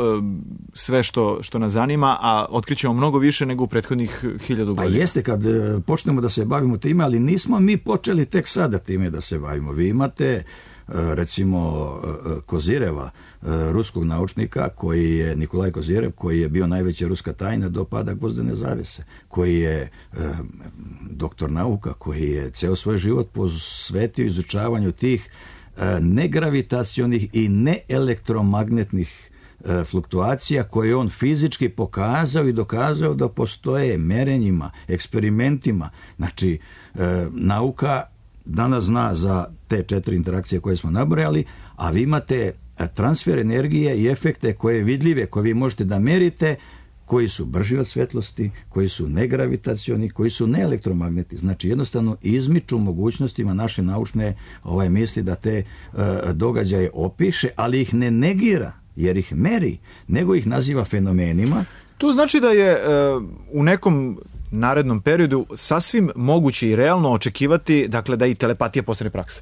sve što, što nas zanima, a otkrićemo mnogo više nego u prethodnih hiljadu godina. Pa jeste, kad počnemo da se bavimo time, ali nismo mi počeli tek sada time da se bavimo. Vi imate recimo Kozireva, ruskog naučnika, koji je Nikolaj Kozirev, koji je bio najveća ruska tajna do pada gvozdene zavese, koji je e, doktor nauka, koji je ceo svoj život posvetio izučavanju tih e, negravitacionih i neelektromagnetnih e, fluktuacija koje on fizički pokazao i dokazao da postoje merenjima, eksperimentima. Znači, e, nauka danas zna za te četiri interakcije koje smo nabrojali, a vi imate transfer energije i efekte koje vidljive, koje vi možete da merite, koji su brži od svetlosti, koji su negravitacioni, koji su neelektromagnetni. Znači, jednostavno izmiču mogućnostima naše naučne ovaj, misli da te uh, događaje opiše, ali ih ne negira, jer ih meri, nego ih naziva fenomenima. To znači da je uh, u nekom narednom periodu sasvim moguće i realno očekivati, dakle, da i telepatija postane praksa.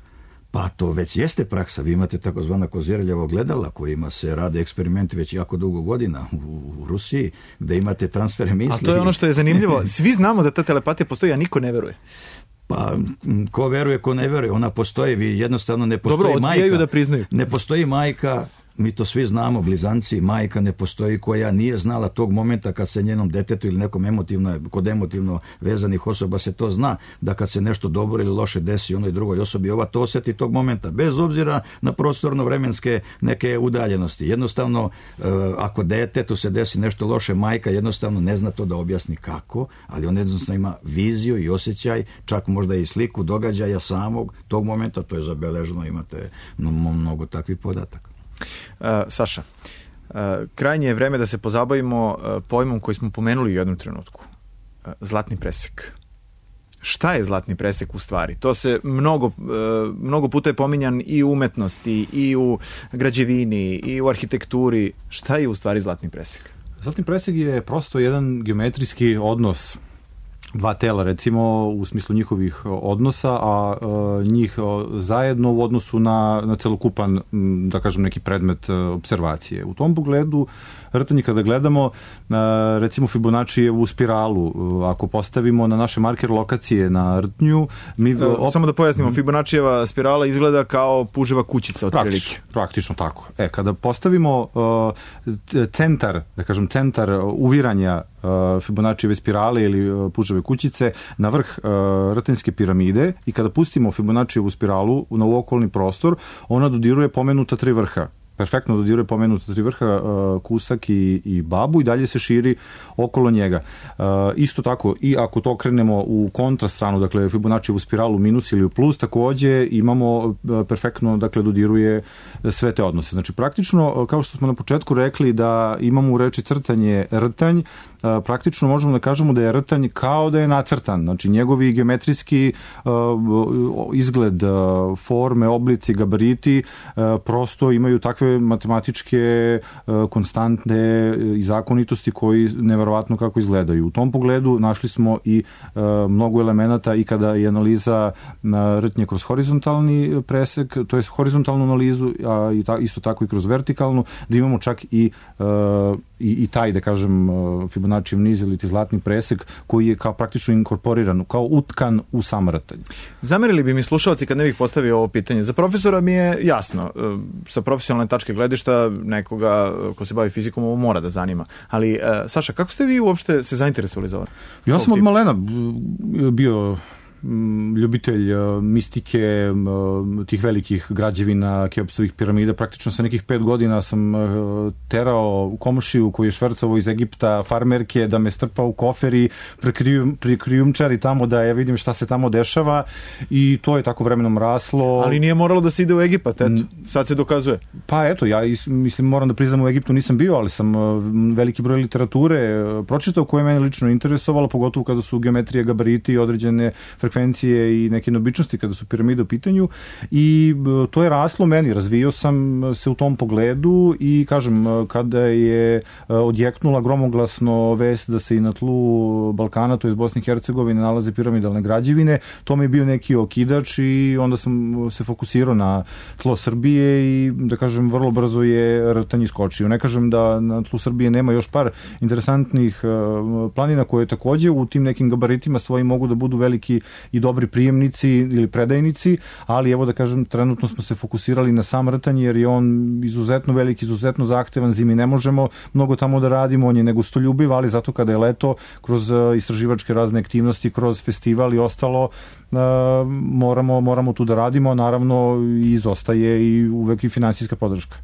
Pa to već jeste praksa. Vi imate takozvana Kozireljeva ogledala kojima se rade eksperimenti već jako dugo godina u, u Rusiji, gde imate transfere misli. A to je ono što je zanimljivo. Svi znamo da ta telepatija postoji, a niko ne veruje. Pa ko veruje, ko ne veruje, ona postoji. Vi jednostavno ne postoji Dobro, majka. Da priznaju. Ne postoji majka. Mi to svi znamo, blizanci, majka ne postoji koja nije znala tog momenta kad se njenom detetu ili nekom emotivno, kod emotivno vezanih osoba se to zna, da kad se nešto dobro ili loše desi onoj drugoj osobi, ova to osjeti tog momenta, bez obzira na prostorno-vremenske neke udaljenosti. Jednostavno, ako detetu se desi nešto loše, majka jednostavno ne zna to da objasni kako, ali on jednostavno ima viziju i osjećaj, čak možda i sliku događaja samog tog momenta, to je zabeleženo, imate mnogo takvih podataka. Uh, Saša, uh, krajnje je vreme da se pozabavimo uh, pojmom koji smo pomenuli u jednom trenutku. Uh, zlatni presek. Šta je zlatni presek u stvari? To se mnogo, uh, mnogo puta je pominjan i u umetnosti, i u građevini, i u arhitekturi. Šta je u stvari zlatni presek? Zlatni presek je prosto jedan geometrijski odnos dva tela, recimo, u smislu njihovih odnosa, a e, njih zajedno u odnosu na, na celokupan, da kažem, neki predmet observacije. U tom pogledu, rtanje kada gledamo, e, recimo Fibonaccijevu spiralu, e, ako postavimo na naše marker lokacije na rtnju, mi... E, op... Samo da pojasnimo, Fibonaccijeva spirala izgleda kao puževa kućica od prilike. Praktično tako. E, kada postavimo e, centar, da kažem, centar uviranja Fibonaccijeve spirale ili puževe kućice na vrh uh, rtenjske piramide i kada pustimo Fibonaccijevu spiralu na okolni prostor, ona dodiruje pomenuta tri vrha. Perfektno dodiruje pomenuta tri vrha, uh, Kusak i, i Babu, i dalje se širi okolo njega. Uh, isto tako, i ako to okrenemo u kontrastranu, dakle Fibonaccijevu spiralu minus ili u plus, takođe imamo uh, perfektno, dakle, dodiruje sve te odnose. Znači, praktično, kao što smo na početku rekli da imamo u reči crtanje rtanj, uh, praktično možemo da kažemo da je rtanj kao da je nacrtan. Znači, njegovi geometrijski uh, izgled, uh, forme, oblici, gabariti uh, prosto imaju takve matematičke uh, konstantne i zakonitosti koji neverovatno kako izgledaju. U tom pogledu našli smo i uh, mnogo elemenata i kada je analiza uh, rtnje kroz horizontalni presek, to je horizontalnu analizu, a i ta, isto tako i kroz vertikalnu, da imamo čak i, uh, i, i taj, da kažem, uh, Fibonaccijev niz ili ti zlatni presek koji je kao praktično inkorporiran, kao utkan u sam rtanj. Zamerili bi mi slušalci kad ne bih postavio ovo pitanje. Za profesora mi je jasno, uh, sa profesionalne tačke gledišta nekoga ko se bavi fizikom ovo mora da zanima. Ali, uh, Saša, kako ste vi uopšte se zainteresovali za ovo? Ja sam od malena bio ljubitelj mistike, tih velikih građevina, Keopsovih piramida. Praktično sa nekih pet godina sam terao komšiju koji je švercovao iz Egipta farmerke da me strpa u koferi, prekrijumčari tamo da ja vidim šta se tamo dešava i to je tako vremenom raslo. Ali nije moralo da se ide u Egipat, eto, sad se dokazuje. Pa eto, ja mislim, moram da priznam, u Egiptu nisam bio, ali sam veliki broj literature pročitao koje mene lično interesovalo, pogotovo kada su geometrije, gabariti, određene frekvencije i neke neobičnosti kada su piramide u pitanju i to je raslo meni, razvio sam se u tom pogledu i kažem, kada je odjeknula gromoglasno vest da se i na tlu Balkana, to je iz Bosne i Hercegovine, nalaze piramidalne građevine, to mi je bio neki okidač i onda sam se fokusirao na tlo Srbije i da kažem, vrlo brzo je rtanj iskočio. Ne kažem da na tlu Srbije nema još par interesantnih planina koje takođe u tim nekim gabaritima svojim mogu da budu veliki i dobri prijemnici ili predajnici, ali evo da kažem, trenutno smo se fokusirali na sam rtanj jer je on izuzetno veliki, izuzetno zahtevan, zimi ne možemo mnogo tamo da radimo, on je negostoljubiv, ali zato kada je leto, kroz istraživačke razne aktivnosti, kroz festival i ostalo, moramo, moramo tu da radimo, naravno izostaje i uvek i finansijska podrška.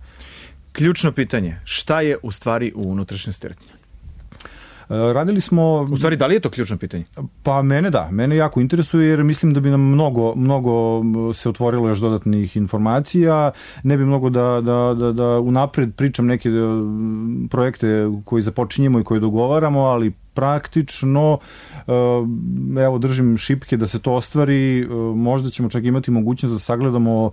Ključno pitanje, šta je u stvari u unutrašnjosti rtnja? Radili smo... U stvari, da li je to ključno pitanje? Pa mene da, mene jako interesuje jer mislim da bi nam mnogo, mnogo se otvorilo još dodatnih informacija, ne bi mnogo da, da, da, da unapred pričam neke projekte koji započinjemo i koje dogovaramo, ali praktično, evo držim šipke da se to ostvari, možda ćemo čak imati mogućnost da sagledamo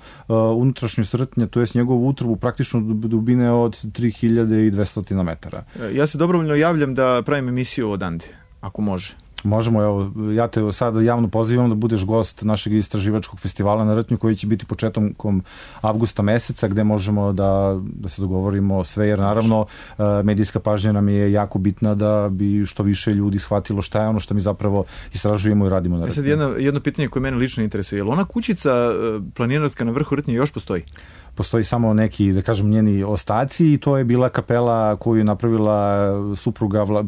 unutrašnjost rtnja, to jest njegovu utrobu praktično dubine od tri hiljade dvesta metara. Ja se dobrovoljno javljam da pravim emisiju odande, ako može. Možemo, evo, ja te sada javno pozivam da budeš gost našeg istraživačkog festivala na rtnju koji će biti početkom avgusta meseca gde možemo da, da se dogovorimo sve, jer naravno medijska pažnja nam je jako bitna da bi što više ljudi shvatilo šta je ono što mi zapravo istražujemo i radimo na rtnju. E sad jedno, jedno pitanje koje mene lično interesuje, je li ona kućica planinarska na vrhu rtnje još postoji? Postoji samo neki, da kažem, njeni ostaci i to je bila kapela koju je napravila supruga vla,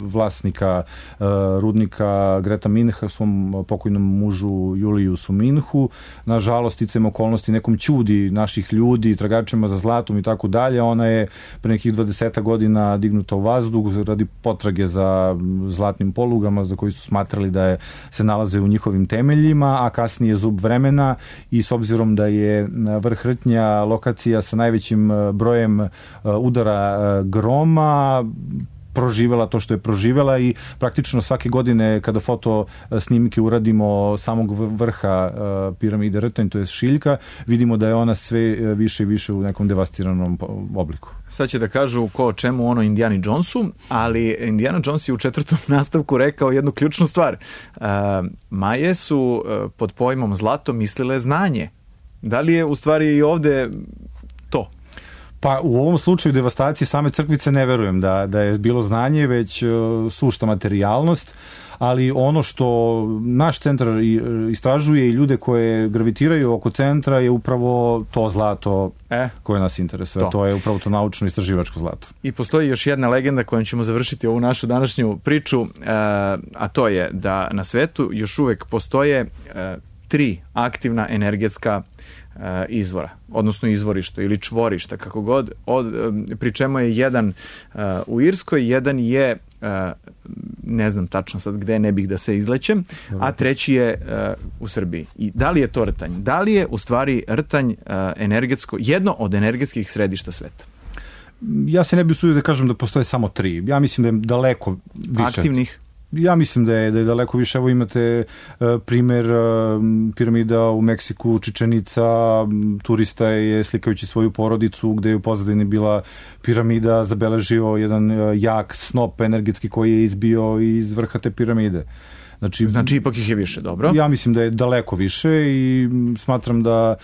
vlasnika uh, rudnika Greta Minha svom pokojnom mužu Juliusu Minhu. Nažalost, sticam okolnosti nekom ćudi naših ljudi, tragačima za zlatom i tako dalje. Ona je pre nekih dvadeset godina dignuta u vazduh radi potrage za zlatnim polugama za koji su smatrali da je, se nalaze u njihovim temeljima, a kasnije zub vremena i s obzirom da je vrh rtnja lokacija sa najvećim brojem udara groma proživela to što je proživela i praktično svake godine kada foto snimke uradimo samog vrha piramide rtanj, to je šiljka, vidimo da je ona sve više i više u nekom devastiranom obliku. Sad će da kažu ko o čemu ono Indiana Jonesu, ali Indiana Jones je u četvrtom nastavku rekao jednu ključnu stvar. Maje su pod pojmom zlato mislile znanje. Da li je u stvari i ovde to? Pa u ovom slučaju devastacije same crkvice ne verujem da, da je bilo znanje, već uh, sušta materijalnost, ali ono što naš centar istražuje i ljude koje gravitiraju oko centra je upravo to zlato e, koje nas interesuje. To. to je upravo to naučno-istraživačko zlato. I postoji još jedna legenda kojom ćemo završiti ovu našu današnju priču, uh, a to je da na svetu još uvek postoje uh, tri aktivna energetska uh, izvora, odnosno izvorišta ili čvorišta, kako god, od, pri čemu je jedan uh, u Irskoj, jedan je, uh, ne znam tačno sad gde, ne bih da se izlećem, a treći je uh, u Srbiji. I da li je to rtanj? Da li je u stvari rtanj uh, energetsko, jedno od energetskih središta sveta? Ja se ne bih usudio da kažem da postoje samo tri. Ja mislim da je daleko više. Aktivnih? Ja mislim da je, da je daleko više. Evo imate uh, primer uh, piramida u Meksiku, Čičenica, turista je slikajući svoju porodicu gde je u pozadini bila piramida, zabeležio jedan uh, jak snop energetski koji je izbio iz vrha te piramide. Znači, znači ipak ih je više, dobro? Ja mislim da je daleko više i smatram da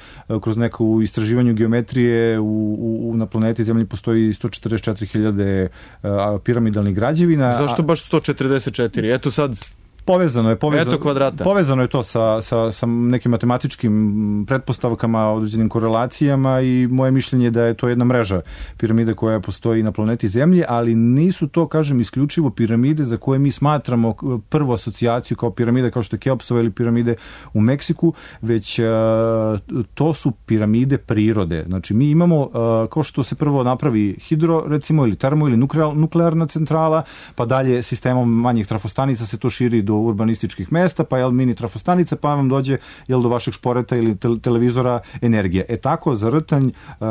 kroz neko istraživanje geometrije u, u, na planeti Zemlji postoji sto četrdeset četiri hiljade piramidalnih građevina. Zašto baš sto četrdeset četiri? Eto sad Povezano je, povezano, Eto kvadrata. Povezano je to sa, sa, sa nekim matematičkim pretpostavkama, određenim korelacijama i moje mišljenje je da je to jedna mreža piramide koja postoji na planeti Zemlji, ali nisu to, kažem, isključivo piramide za koje mi smatramo prvu asocijaciju kao piramide, kao što je Keopsova ili piramide u Meksiku, već uh, to su piramide prirode. Znači, mi imamo, uh, kao što se prvo napravi hidro, recimo, ili termo, ili nuklearna centrala, pa dalje sistemom manjih trafostanica se to širi do urbanističkih mesta, pa jel mini trafostanica, pa vam dođe jel do vašeg šporeta ili te, televizora energije. E tako, za rtanj uh,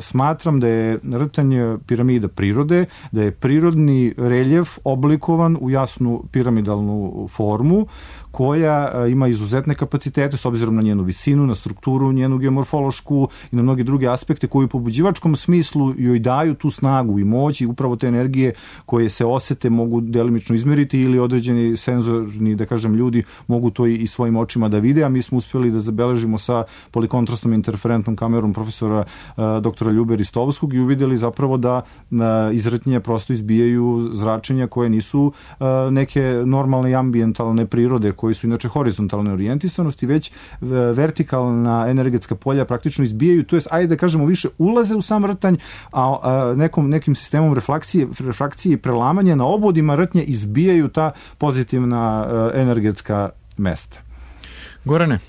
smatram da je rtanj piramida prirode, da je prirodni reljef oblikovan u jasnu piramidalnu formu, koja ima izuzetne kapacitete s obzirom na njenu visinu, na strukturu, njenu geomorfološku i na mnoge druge aspekte koji u pobuđivačkom smislu joj daju tu snagu i moć i upravo te energije koje se osete mogu delimično izmeriti ili određeni senzorni, da kažem, ljudi mogu to i svojim očima da vide, a mi smo uspjeli da zabeležimo sa polikontrastnom interferentnom kamerom profesora uh, doktora Ljube Ristovskog i uvidjeli zapravo da uh, iz rtnje prosto izbijaju zračenja koje nisu uh, neke normalne i ambijentalne prirode koji su inače horizontalne orijentisanosti, već vertikalna energetska polja praktično izbijaju, to jest, ajde da kažemo, više ulaze u sam rtanj, a, a nekom, nekim sistemom refleksije, refrakcije i prelamanja na obodima rtnje izbijaju ta pozitivna a, energetska mesta. Gorane,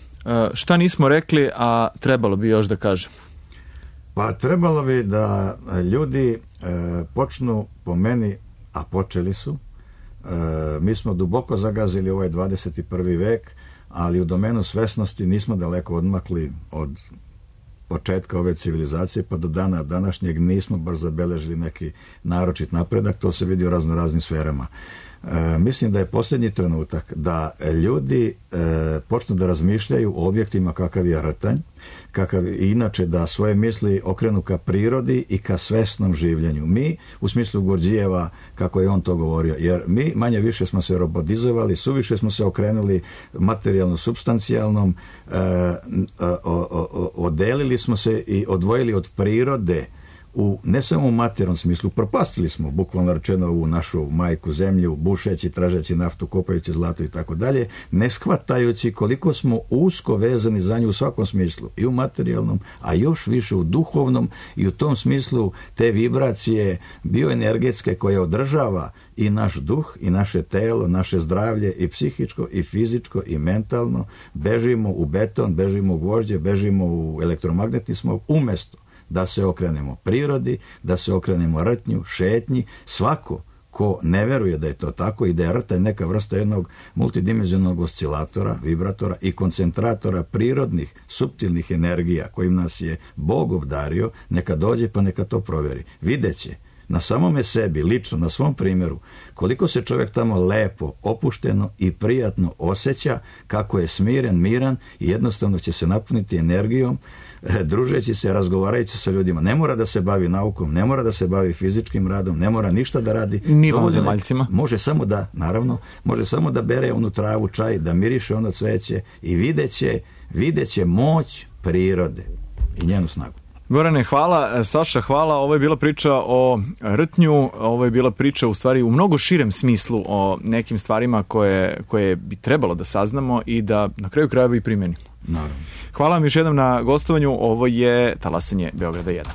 šta nismo rekli, a trebalo bi još da kažem? Pa trebalo bi da ljudi e, počnu, po meni, a počeli su, E, mi smo duboko zagazili ovaj dvadeset prvi vek, ali u domenu svesnosti nismo daleko odmakli od početka ove civilizacije, pa do dana današnjeg nismo baš zabeležili neki naročit napredak, to se vidi u razno raznim sferama. E, mislim da je posljednji trenutak da ljudi e, počnu da razmišljaju o objektima kakav je rtanj, kakav inače da svoje misli okrenu ka prirodi i ka svesnom življenju. Mi, u smislu Gurdjijeva, kako je on to govorio, jer mi manje više smo se robotizovali, suviše smo se okrenuli materijalno-substancijalnom, e, o, o, o, odelili smo se i odvojili od prirode, u, ne samo u materijalnom smislu, propastili smo, bukvalno rečeno, ovu našu majku zemlju, bušeći, tražeći naftu, kopajući zlato i tako dalje, ne shvatajući koliko smo usko vezani za nju u svakom smislu, i u materijalnom, a još više u duhovnom, i u tom smislu te vibracije bioenergetske koje održava i naš duh, i naše telo, naše zdravlje, i psihičko, i fizičko, i mentalno, bežimo u beton, bežimo u gvožđe, bežimo u elektromagnetni smog, umjesto da se okrenemo prirodi, da se okrenemo rtnju, šetnji, svako ko ne veruje da je to tako i da je rtanj neka vrsta jednog multidimenzionalnog oscilatora, vibratora i koncentratora prirodnih, suptilnih energija kojim nas je Bog obdario, neka dođe pa neka to provjeri. Videće na samome sebi, lično, na svom primjeru, koliko se čovjek tamo lepo, opušteno i prijatno osjeća, kako je smiren, miran i jednostavno će se napuniti energijom, družeći se, razgovarajući sa ljudima. Ne mora da se bavi naukom, ne mora da se bavi fizičkim radom, ne mora ništa da radi. Ni vanzemaljcima. Može samo da, naravno, može samo da bere onu travu, čaj, da miriše ono cveće i videće, videće moć prirode i njenu snagu. Gorane, hvala. Saša, hvala. Ovo je bila priča o rtnju, ovo je bila priča u stvari u mnogo širem smislu o nekim stvarima koje, koje bi trebalo da saznamo i da na kraju krajeva i primenimo. Naravno. Hvala vam još jednom na gostovanju. Ovo je Talasanje Beograda jedan.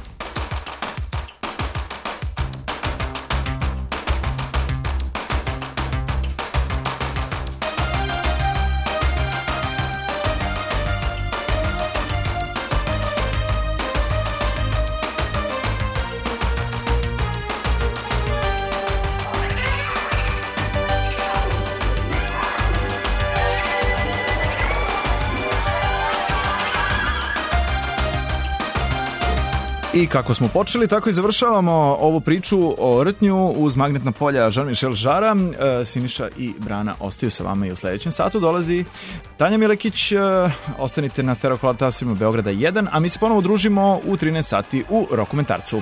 I kako smo počeli, tako i završavamo ovu priču o rtnju uz magnetna polja Jean-Michel Jarra. Siniša i Brana ostaju sa vama i u sljedećem satu. Dolazi Tanja Milekić. Ostanite na Stereo Talasima Beograda jedan, a mi se ponovo družimo u trinaest sati u Rokomentarcu.